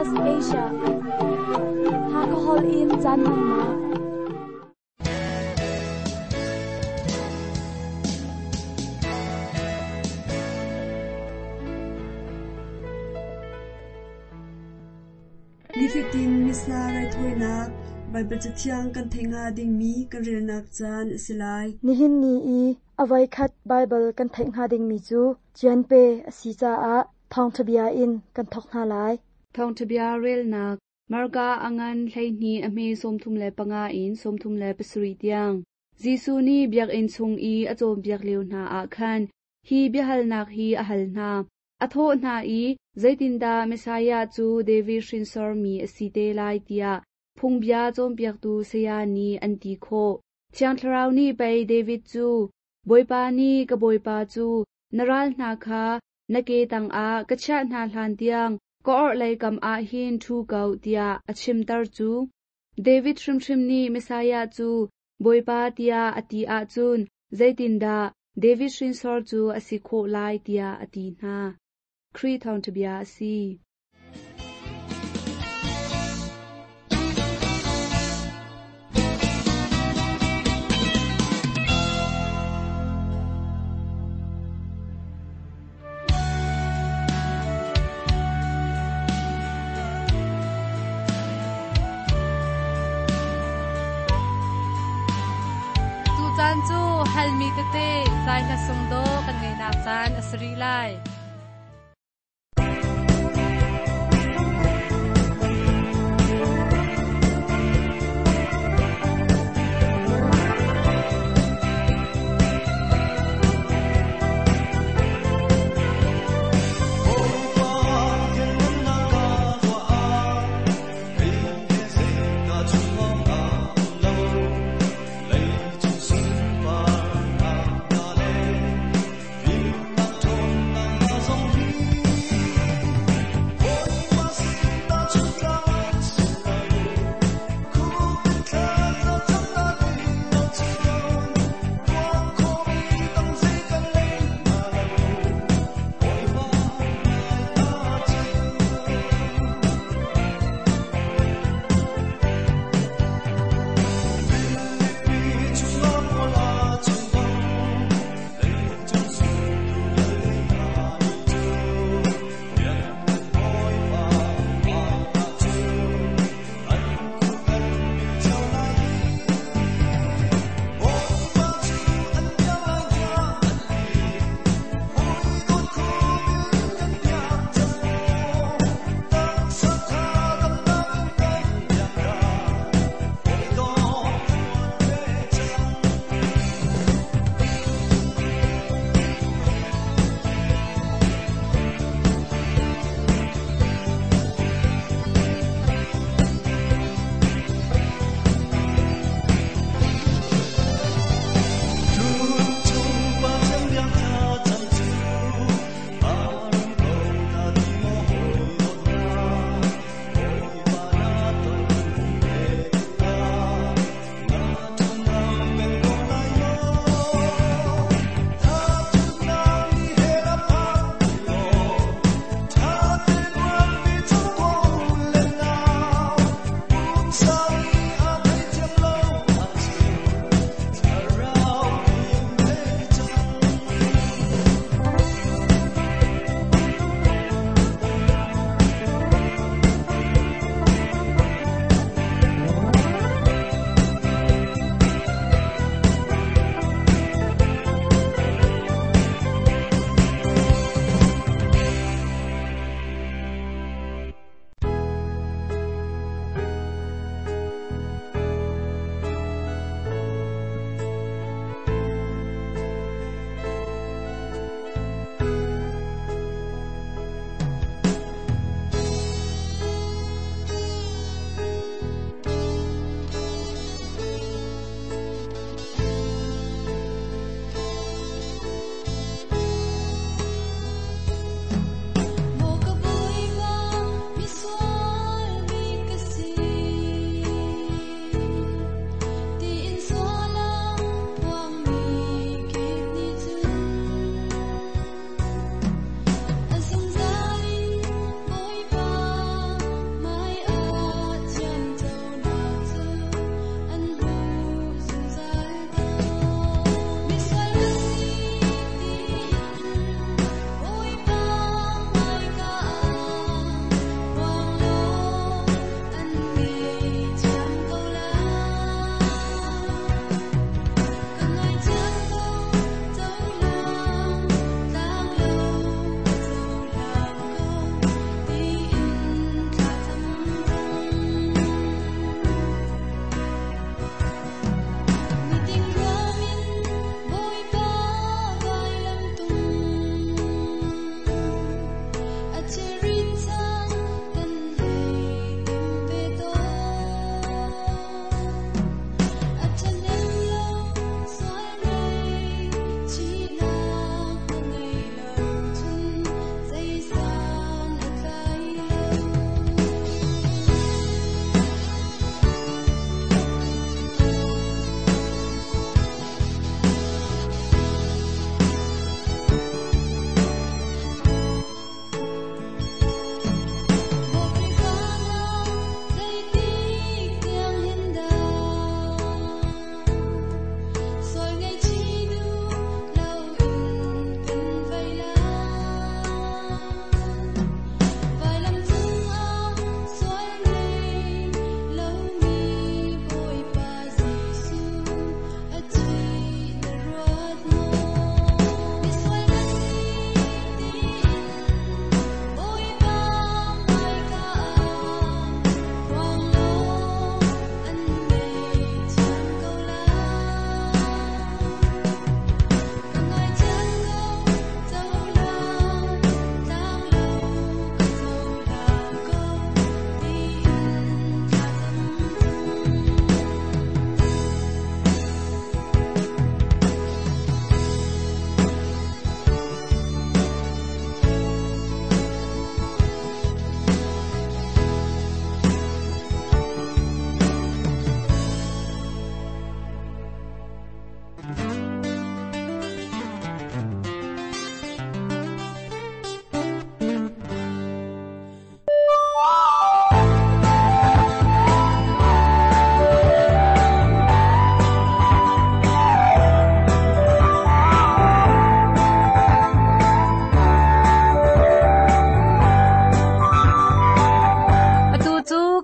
SBS Asia. Hakahol in caan hmannak. Nifatin Missa raithawinak Baibal Cathiang kan theih hnga dingmi kan relnak caan a si lai. Nihin ni i a voikhat Baibal kan theih hnga dingmi cu Cianpe a si caah thawngṭha bia in kan thawk hna lai. Thawngṭha bia relnak Marka a ngan 12 a hme 35 in 37 tiang. Jesuh nih biakinn chung i a cawnpiak lio hna ah khan hi biahalnak hi a hal hna. A thawh hna i, Zeitindah Messiah cu David hrinsormi a si te lai tiah phungbia cawnpiaktu saya nih an ti khawh. Thiang Thlarau nih pei David cu, Bawipa nih ka Bawipa cu na ral hna kha na ke tangah ka chiah hna hlan tiang ka orhlei kam ah hin ṭhu ko tiah a chimter cu. David hrimhrim nih Messiah cu Bawipa tiah a ti ahcun zeitindah David hrinsor cu a si khawh lai tiah a ti hna. Khrih thawngṭha bia a si. Tucaan cu halmi tete zai hla sung dawh kan ngeihnak caan a si rih lai. Lei cung sunparnak hna le fimnak ṭhawnnak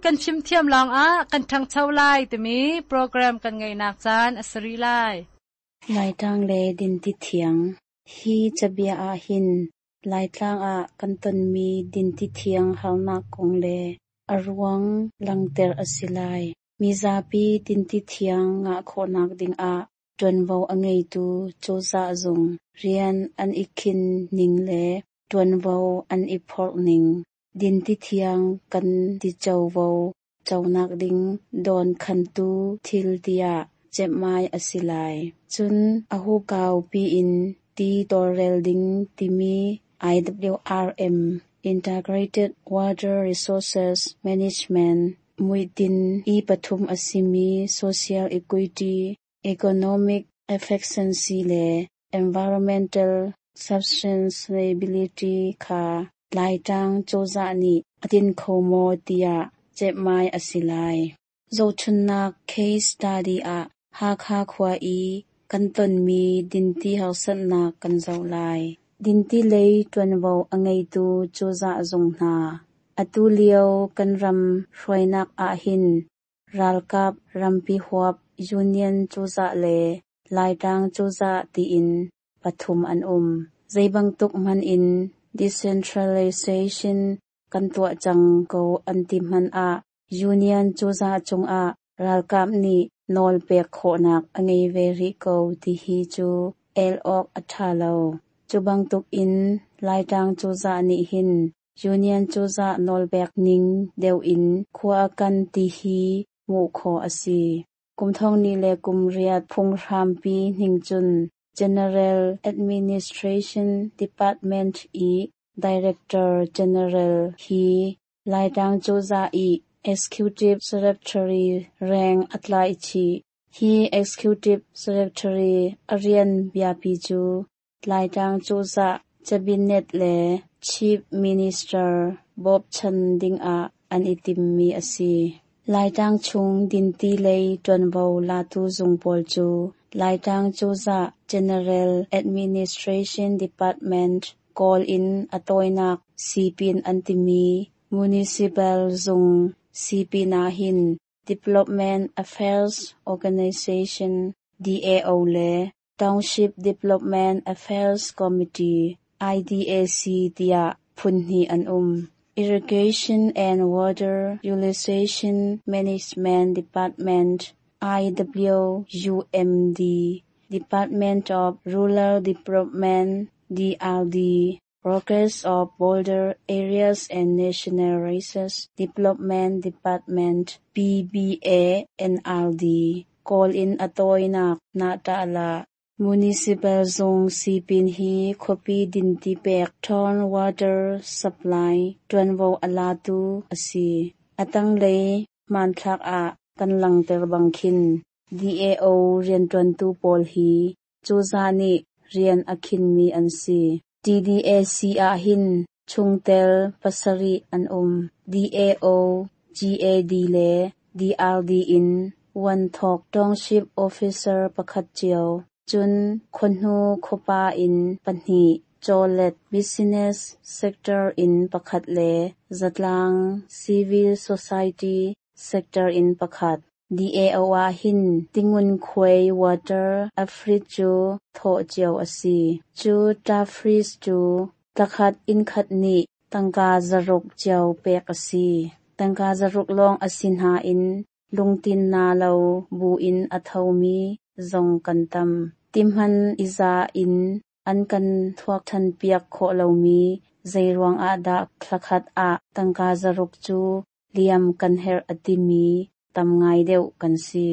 kan fimthiam lawngah kan ṭhangcho lai timi program kan ngeihnak caan a si rih lai. Laitlang le dinti thiang. Hi cabia ahhin Laitlang ah kan tonmi dinti thiang harnak kong le a ruang langhter a si lai. Mizapi dinti thiang ngah khawhnak dingah ṭuanvo a ngeitu cozah zung rian an i khinh ning le ṭuanvo an i phorh ning, dinti thiang kan ti covo conak ding dawnkhantu thil tiah ceihmai a si lai. Cun a hukau piin ti tawlrel ding timi IWRM (Integrated Water Resources Management) muihtinh i pathum a simi Social Equity, Economic Efficiency le Environmental Sustainability kha Laitlang cozah nih a tin kho maw tiah ceihmai a si lai. Zohchunhnak case study ah Hakha khua i kan tonmi dinti harsatnak kan zoh lai. Dinti lei ṭuanvo a ngeitu cozah zung hna. Atu lio kan ram hruainak ahhin ralkap rampi huap Union cozah le Laitlang cozah tiin pathum an um. Zeibantuk hmanh in decentralization kan tuah cang ko an ti hmanh ah Union cozah cungah ralkap nih nawl pek khawhnak a ngei ve rih ko ti hi cu el awk a ṭha lo. Cu bantuk in Laitlang cozah nih hin Union cozah nawlpek ning deuh in khua a kan ti hi hmuh khawh a si. Kum thonghnih le kum riat phunghrampi ning cun General Administration Department i Director General hi Laitlang cozah i Executive Secretary reng a tlaih chih. Hi Executive Secretary a rian biapi cu Laitlang cozah Cabinet le Chief Minister bawmchan dingah an i timmi a si. Laitlang chung dinti lei ṭuanvo latu zung pawl cu Laitlang cozah General Administration Department Kawl in a tawinak sipin an timi Municipal zung sipin ahhin Development Affairs Organization DAO le Township Development Affairs Committee IDAC tiah phun hnih an um. Irrigation and Water Utilization Management Department IWUMD, Department of Rural Development DRD, Progress of Border Areas and National Resource Development Department PBA NRD, Kawl in a tawinak Nahtahlah. Municipal zung sipin hi khuapi dinti pek Town Water Supply ṭuanvo a latu a si. A tanglei hmanthlak ah kan langhter bang khin DAO rianṭuantu pawl hi cozah nih rian a khinmi an si. TDAC ahhin chungtel pasarih an um. DAO, GAD le DRD in Vuanthok Township Officer pakhat cio, cun khuahnu khuapa in pahnih, chawlet business sector in pakhat le zatlang civil society sector in pakhat. DAO ahhin tingunkhuai water afrit cu thawh cio a si. Cu tafris cu tlakhat inn khat nih tangka zaruk cio pek a si. Tangka zaruk lawng a si nain lungtin na lo buin a thomi zong kan tam. Tihman i za in an kan thuak ṭhan piak khawh lomi zeiruang ah dah thlakhat ah tangka zaruk cu liam kan herh a timi tam ngai deuh kan si.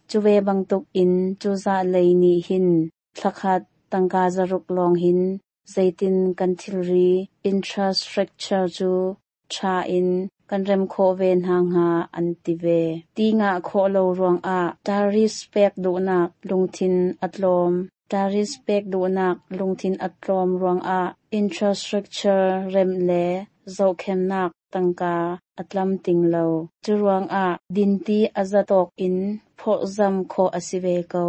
Cu ve bantuk in cozah lei nih hin thlakhat tangka zaruk lawng hin zeitin kan thilri infrastructure cu ṭha in kan rem khawh ve hna hnga an ti ve. Ti ngah khawh lo ruangah tariff pek duhnak lungthin a tlawm. Tariff pek duhnak lungthin a tlawm ruangah infrastructure remh le zohkhenhnak tangka a tlamtling lo. Cu ruangah dinti a zatawk in phawtzamh khawh a si ve ko.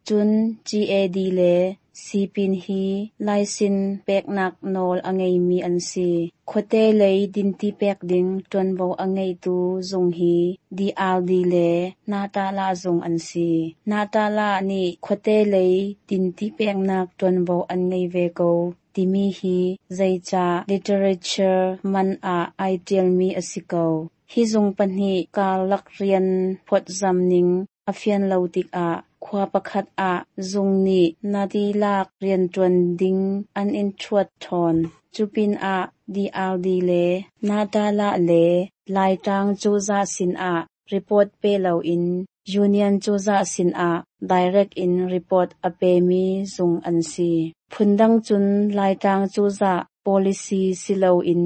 Cun GAD le Sipin hi laisin peknak nawl a ngeimi an si. Khuate lei dinti pek ding ṭuanvo a ngeitu zung hi DRD le Natala zung an si. Natala nih khuate lei dinti peknak ṭuanvo an ngei ve ko timi hi zeicah literature man ah ai ṭialmi a si ko. Hi zung pahnih karlak rian phawtzam ning a fian lo tikah khua pakhat ah zung nih na tilak rianṭuan ding an in ṭhuat ṭhawn. Cupinah DRD le Natala le Laitlang cozah sinah report pe loin Union cozah sinah direct in report a pemi zung an si. Phundang cun Laitlang cozah policy si loin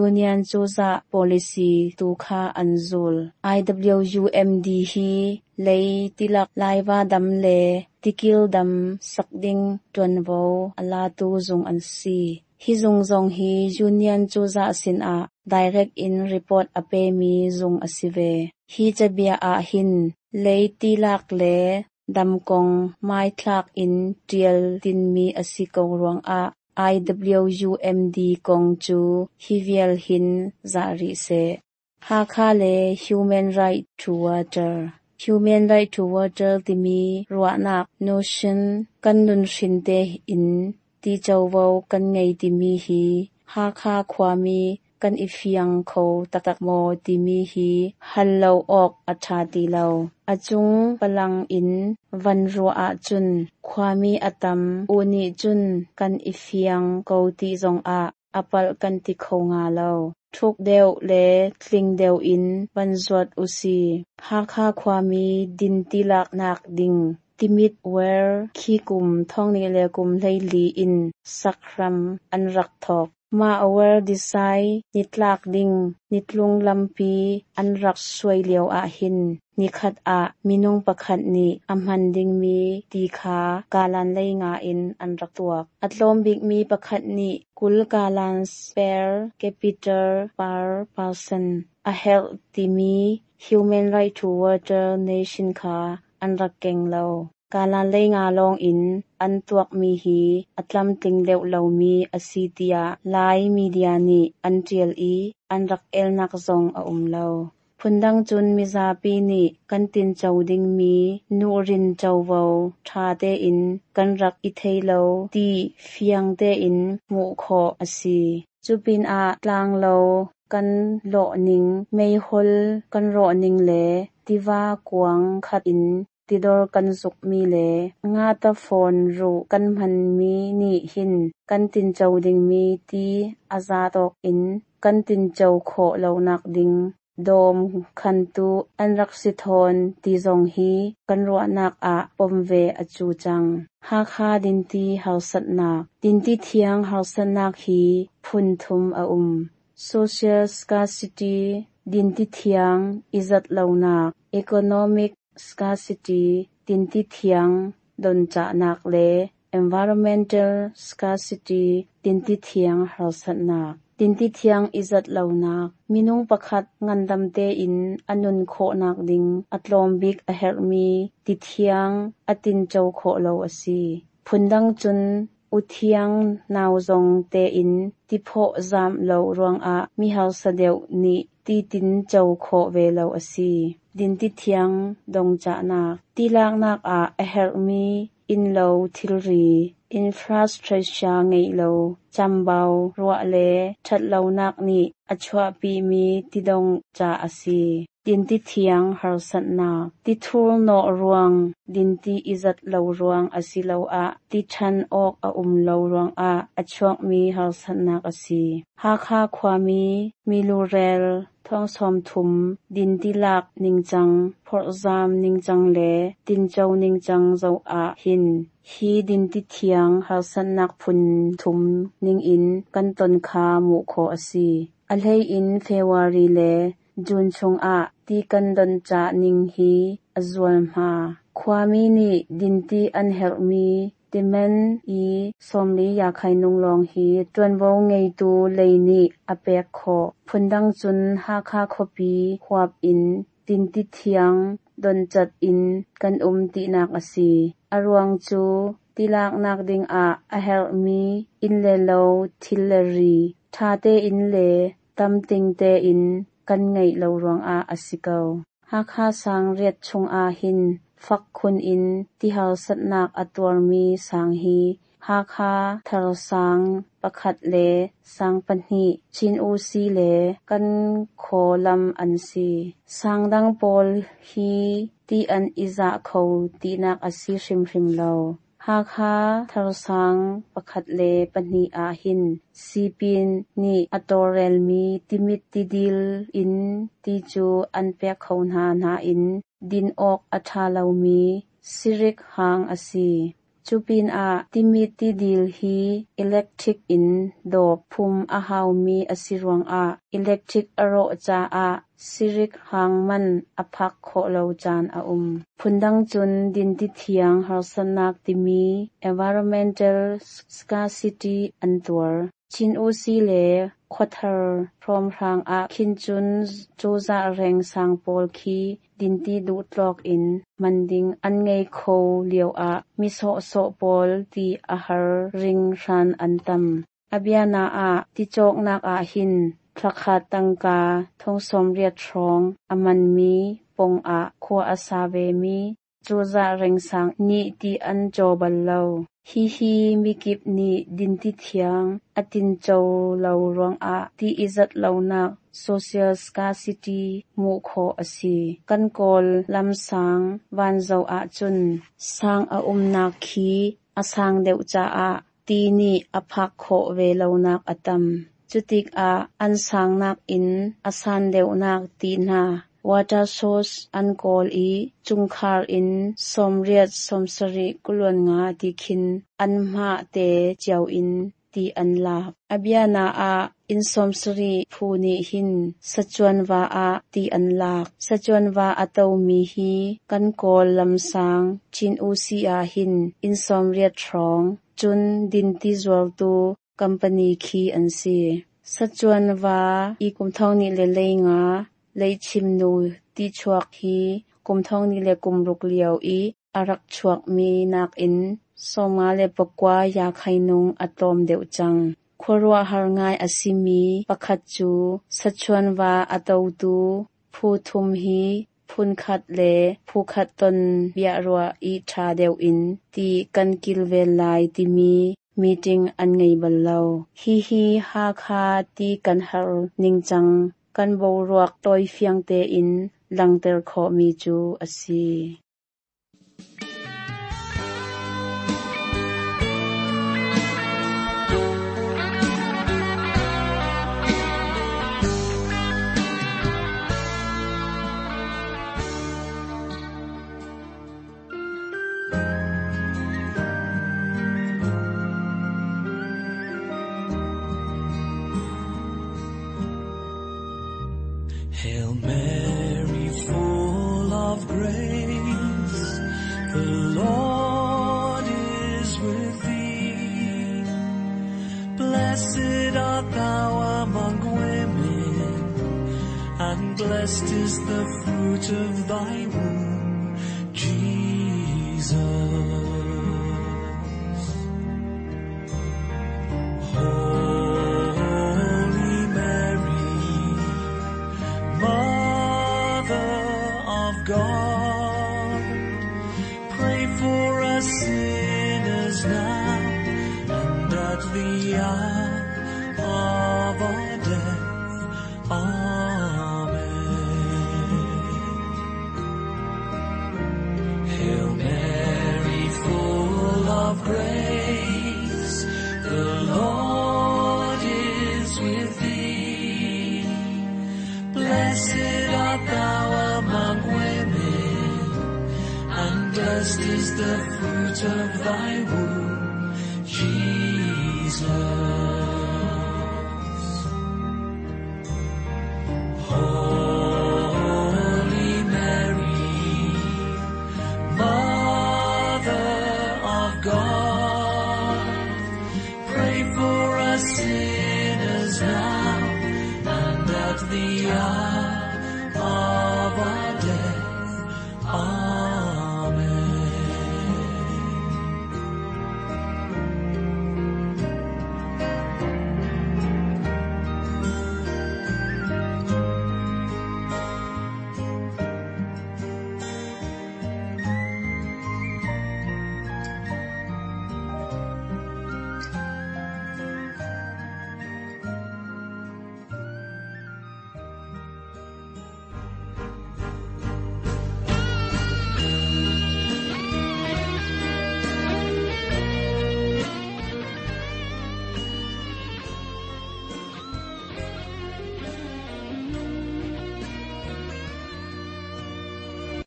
Union cozah policy tu kha an zul. IWUMD hi lei tilak Laiva dam le tikil dam sak ding ṭuanvo a latu zung an si. Hi zung zong hi Union cozah sinah direct in report a pemi zung a si ve. Hi cabia ah hin lei tilak le dam kong hmaithlak in ṭial tinmi a si ko ruangah IWUMD kong cu hi vial hin zah rih seh. Hakha le Human Right to Water. Human Right to Water timi ruahnak notion kan nunhrin tein ti covo kan ngei timi hi Hakha khuami kan i fiang kho taktak maw timi hi hal lo awk a ṭha ti lo. A cung palang in van ruah ahcun khuami a tam u nih cun kan i fiang ko ti zongah a palh kan ti kho hnga lo. Thuk deuh le tling deuh in van zuat usi. Hakha khuami dinti laknak ding Timit Ware khi kum 2014 in sak hram an rak thawk. Mah Ware design nitlak ding nitlung lampi an rak suai lio ahhin nikhat ah minung pakhat nih a hman dingmi ti kha kalan 5 in an rak tuak. A tlawm bikmi pakhat nih 20 gallons per capita per person a herh timi Human Right to Water Nation kha an rak keng lo. Kalan 5 lawng in an tuakmi hi a tlamtling deuh lomi a si tiah Lai media nih an ṭial i an rak elnak zong a um lo. Phundang cun mizapi nih kan tinco dingmi nuhrin covo ṭha tein kan rak i thei lo ti fiang tein hmuh khawh a si. Cupinah tlanglo kan lawhning, meihol kan rawhning le tiva kuang khat in tidor kan zukmi le ngatafawn ruh kan hmanmi nih hin kan tinco dingmi ti a za tawk in kan tinco khawh lonak ding dawm khantu an rak si thawn ti zong hi kan ruahnak ah pom ve a cu cang. Hakha dinti harsatnak. Dinti thiang harsatnak hi phun thum a um. Social scarcity, dinti thiang izat lonak, economic scarcity, dinti thiang doncahnak le environmental scarcity, dinti thiang harsatnak. Dinti thiang izat lonak, minung pakhat ngandam tein a nun khawhnak ding a tlawm bik a herhmi ti thiang a tinco khawh lo a si. Phundang cun uthiang nau zong tein ti phawh zam lo ruangah mi harsa deuh nih ti tinco khawh ve lo a si. Dinti thiang dongcahnak. Ti laknak ah a herhmi innlo thilri, infrastructure ngeih lo, chambau ruah le ṭhatlonak nih a chuahpimi tidong ca a si. Dinti thiang harsatnak. Ti thurhnawh ruang, dinti izat lo ruang asiloah ti ṭhan awk a um lo ruangah a chuakmi harsatnak a si. Hakha khuami milurel 30,000 dinti lak ningcang, phorhzam ningcang le tinco ningcang zoh ah hin hi dinti thiang harsatnak phun thum ningin kan ton kha hmuh khawh a si. A hlei in February le June chungah ti kan doncah ning hi a zualhma. Khuami nih dinti an herhmi timen i 40 yakhainung lawng hi ṭuanvo ngeitu lei nih a pek khawh. Phundang cun Hakha khuapi huap in dinti thiang doncat in kan um tinak a si. A ruang cu Ti laknak dingah a herhmi inn le lo thil le ri ṭha tein le tamting tein kan ngeih lo ruangah a si ko. Hakha sang riat chungah hin fak khun in ti harsatnak a tuarmi sang hi Hakha thar sang pakhat le sang pahnih Chin Usi le kan khaw lam an si. Sang dang pawl hi ti an i zah kho tinak a si hrimhrim lo. Hakha thar sang pakhat le pahnih ah hin sipin nih a tawlrelmi Timit tidil in ti cu an pek kho hna nain din awk a ṭha lomi sirik hang a si. Cu pinah Timit tidil hi electric in dawp phum a haumi a si ruangah electric a rawh caah sirik hang man a phak khawh lo caan a um. Phundang cun dinti thiang harsatnak timi environmental scarcity an tuar. Chin Usi le Khuathar hrawmhrang ah khin cun cozah reng sang pawl khi dinti duhtawk in hman ding an ngei kho lioah mi sawhsawh pawl ti a har hringhran an tam. A biana ah ti cawknak ah hin thlakhat tangka thong sawmriat hrawng a manmi pong ah khua a sa vemi cozah rengsang nih ti an caw bal lo. Hihi mikip nih dinti thiang a tinco lo ruangah ti i zat lonak social scarcity hmuh khawh a si. Kan Kawl lam sang van zoh ahcun sang a umnak khi a sang deuh caah ti nih a phak khawh ve lonak a tam. Cutikah an sangnak in a san deuhnak ti hna water source an kawl i chungkhar in sawmriat sawmsarih kuluan nga ti khin an mah te cio in ti an lak. A biana ah inn sawmsarih phu nih hin sachuan va ah ti an lak. Sachuan va a tomi hi kan Kawl lamsang Chin Usi ah hin inn sawmriat hrawng cun dinti zuartu company khi an si. Sachuan va i kum thong nih le lei nga leichim nu ti chuak hi kum thong nih le kum ruk lio i a rak chuakmi nakin sawmnga le pakua ya khainung a tlawm deuh cang. Khuaruahhar ngai a simi pakhat cu sachuan va a totu phu thum hi phunkhat le phukhat ton biaruah i ṭha deuh in ti kan kilven lai timi meeting an ngei bal lo. Hihi Hakha ti kan har ningcang kan boruak tawifiang tein langhter khawhmi cu a si. Hail Mary, full of grace, the Lord is with thee. Blessed art thou among women, and blessed is the fruit of thy womb, Jesus. Holy Mary, Mother of God, pray for us sinners now and at the hour of our death. Amen. Hail Mary, full of grace, the Lord is with thee. Blessed art thou among women, and blessed is the fruit of thy womb, Jesus. Holy Mary, Mother of God, pray for us sinners now and at the hour of our death. Amen.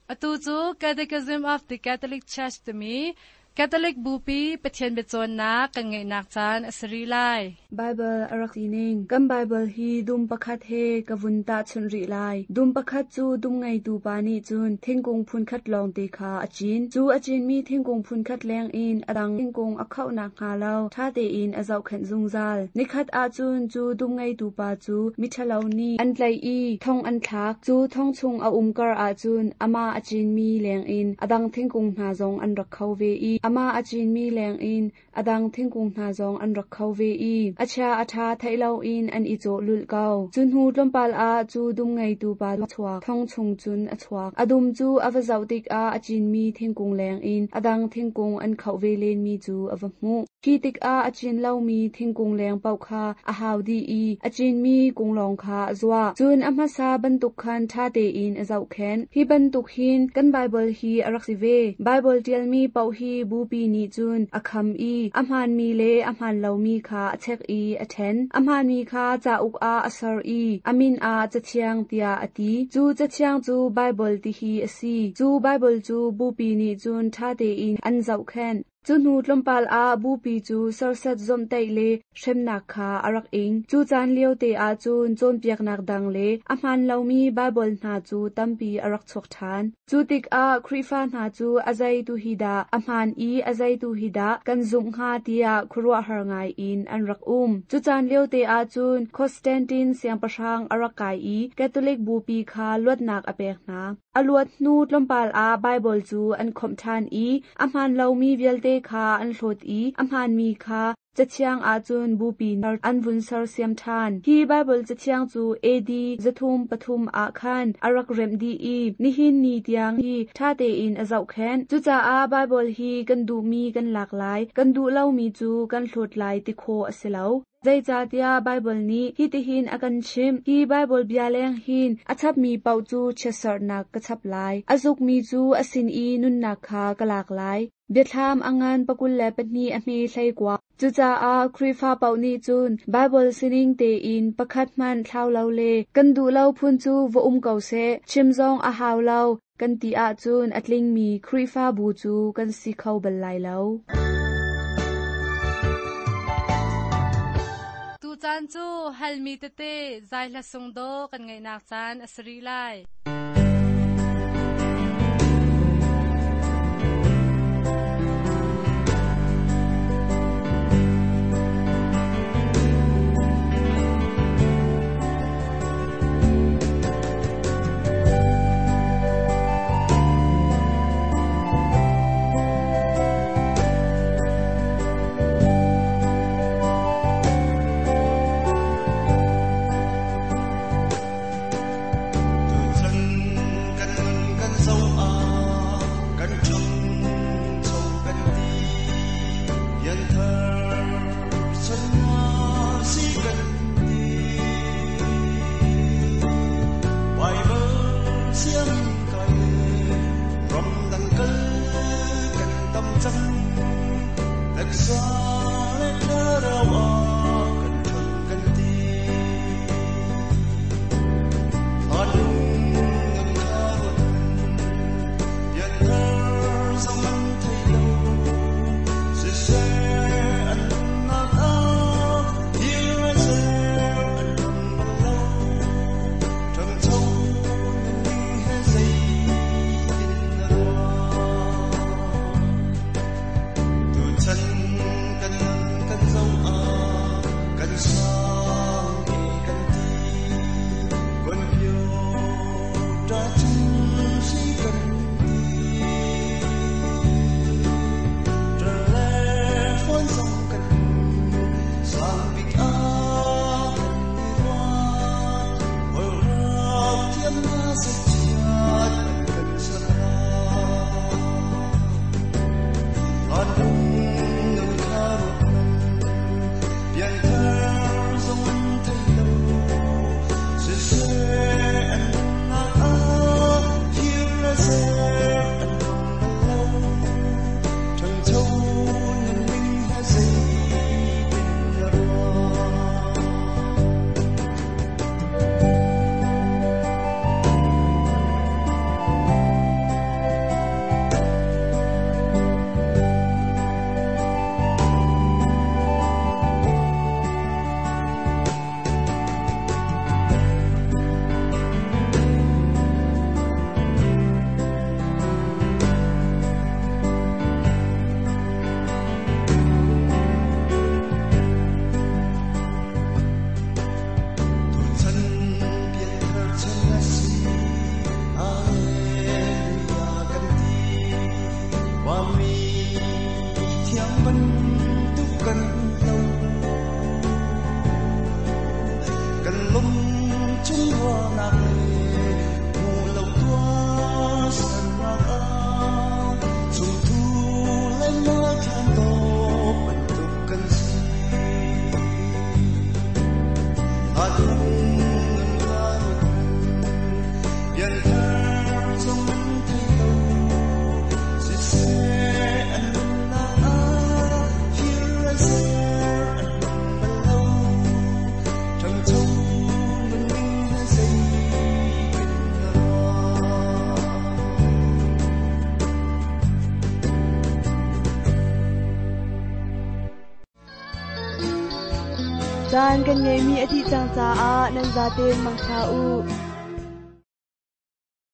Atu cu Catechism of the Catholic Church timi Catholic Bupi Pathian biacawnnak kan ngeihnak caan a si rih lai. Baibal a rak sining. Kan Baibal hi dum pakhat he ka vun tahchunh rih lai. Dum pakhat cu dum ngeitu pa nih cun thingkung phunkhat lawngte kha a cin. Cu a cinmi thingkung phunkhat lengin a dang thingkung a khoh nakhnga lo ṭha tein a zohkhenh zungzal. Nikhat ahcun cu dum ngeitu pa cu miṭhalo nih an tlaih i thong an thlak. Cu thong chung a um kar ahcun amah a cinmi lengin a dang thingkung hna zong an rak kho ve i amah a cinmi lengin a dang thingkung hna zong an rak kho ve i a chia a ṭha theih loin an i cawh lulh ko. Cu hnu tlawmpal ah cu dum ngeitu pa chuak thong chung cun a chuak. A dum cu a va zoh tikah a cinmi thingkung lengin a dang thingkung an khoh ve lenmi cu a va hmuh. Khi tikah a cin lomi thingkung leng paoh kha a hau dih i a cinmi kung lawng kha a zuah. Cun a hmasa bantuk khan ṭha tein a zohkhenh. Hi bantuk hin kan Baibal hi a rak si ve. Baibal ṭialmi paoh hi Bupi nih cun a kham i a hmaanmi le a hmaan lomi kha a check i a ṭhen. A hmaanmi kha cauk ah a ser i a min ah Cathiang tiah a ti. Cu Cathiang cu Baibal ti hi a si. Cu Baibal cu Bupi nih cun ṭha tein an zohkhenh. Cu hnu tlawmpal ah Bupi cu serhsat zawmhtaih le hremnak kha a rak ing. Cu caan liote ah cun cawnpiaknak dang le a hmaan lomi Baibal hna cu tampi a rak chuak ṭhan. Cu tikah Khrihfa hna cu a zei tu hi dah a hmaan i a zei tu hi dah kan zumh hnga tiah khuaruahhar ngai in an rak um. Cu caan liote ah cun Constantine siangpahrang a rak kai i Catholic Bupi kha luatnak a pek hna. A luat hnu tlawmpal ah Baibal cu an khawmh ṭhan i a hmaan lomi vialte kha an hlawt i a hmaanmi kha Cathiang ahcun Bupi an vun sersiam ṭhan. Hi Baibal Cathiang cu AD 303 ah khan a rak remh dih i nihin ni tiang hi ṭha tein a zohkhenh. Cucaah Baibal hi kan duhmi kan lak lai, kan duh lomi cu kan hlawt lai ti khawh a si lo. Zeicahtiah Baibal nih hitihin a kan chimh, Hi Baibal bia leng hin a chapmi paoh cu chiatserhnak ka chap lai, a zukmi cu a sin i nunnak kha ka lak lai. Biathlam a ngan 22 a hme 19. Cucaah Khrihfa paoh nih cun Baibal sining tein pakhat hmanh thlau lo le kan duh lo phun cu va um ko seh, chim zong a hau lo kan ti ahcun a tlingmi Khrihfabu cu kan si kho bal lai lo. Tucaan cu halmi tete zai hla sung dawh kan ngaihnak caan a si rih lai. Tuchan kan nun kan zoh ah kan ṭhangcho kan ti. Pianthar chan si kan ti. Baibal sianginn kai ramdang kal kan tam cang. Taksa le thlarau ah kan ṭhang kan ti. Hlan nun kha ruat pianthar zong an thei lo. Siseh an nunnak ah thil le ser an hmang bal lo. Ṭhangcho nunning he zeitin na ruah? Tuchan kan nun kan zoh ah kan sang e kan ti. Computer chan si kan ti. Telephone zong kan sang bik ah kan i ruah. Holhrok thiam na sachiat an kan ser Hlan nun kha ruat pianthar zong an thei lo. Siseh an nunnak ah Pianthar zong an thei lo. Siseh an nunnak ah thil an ser an hmang bal lo. Ṭhangcho nunning he zeitin na ruah? Caan kan ngeihmi a dih cang caah nan zaten mangṭha u.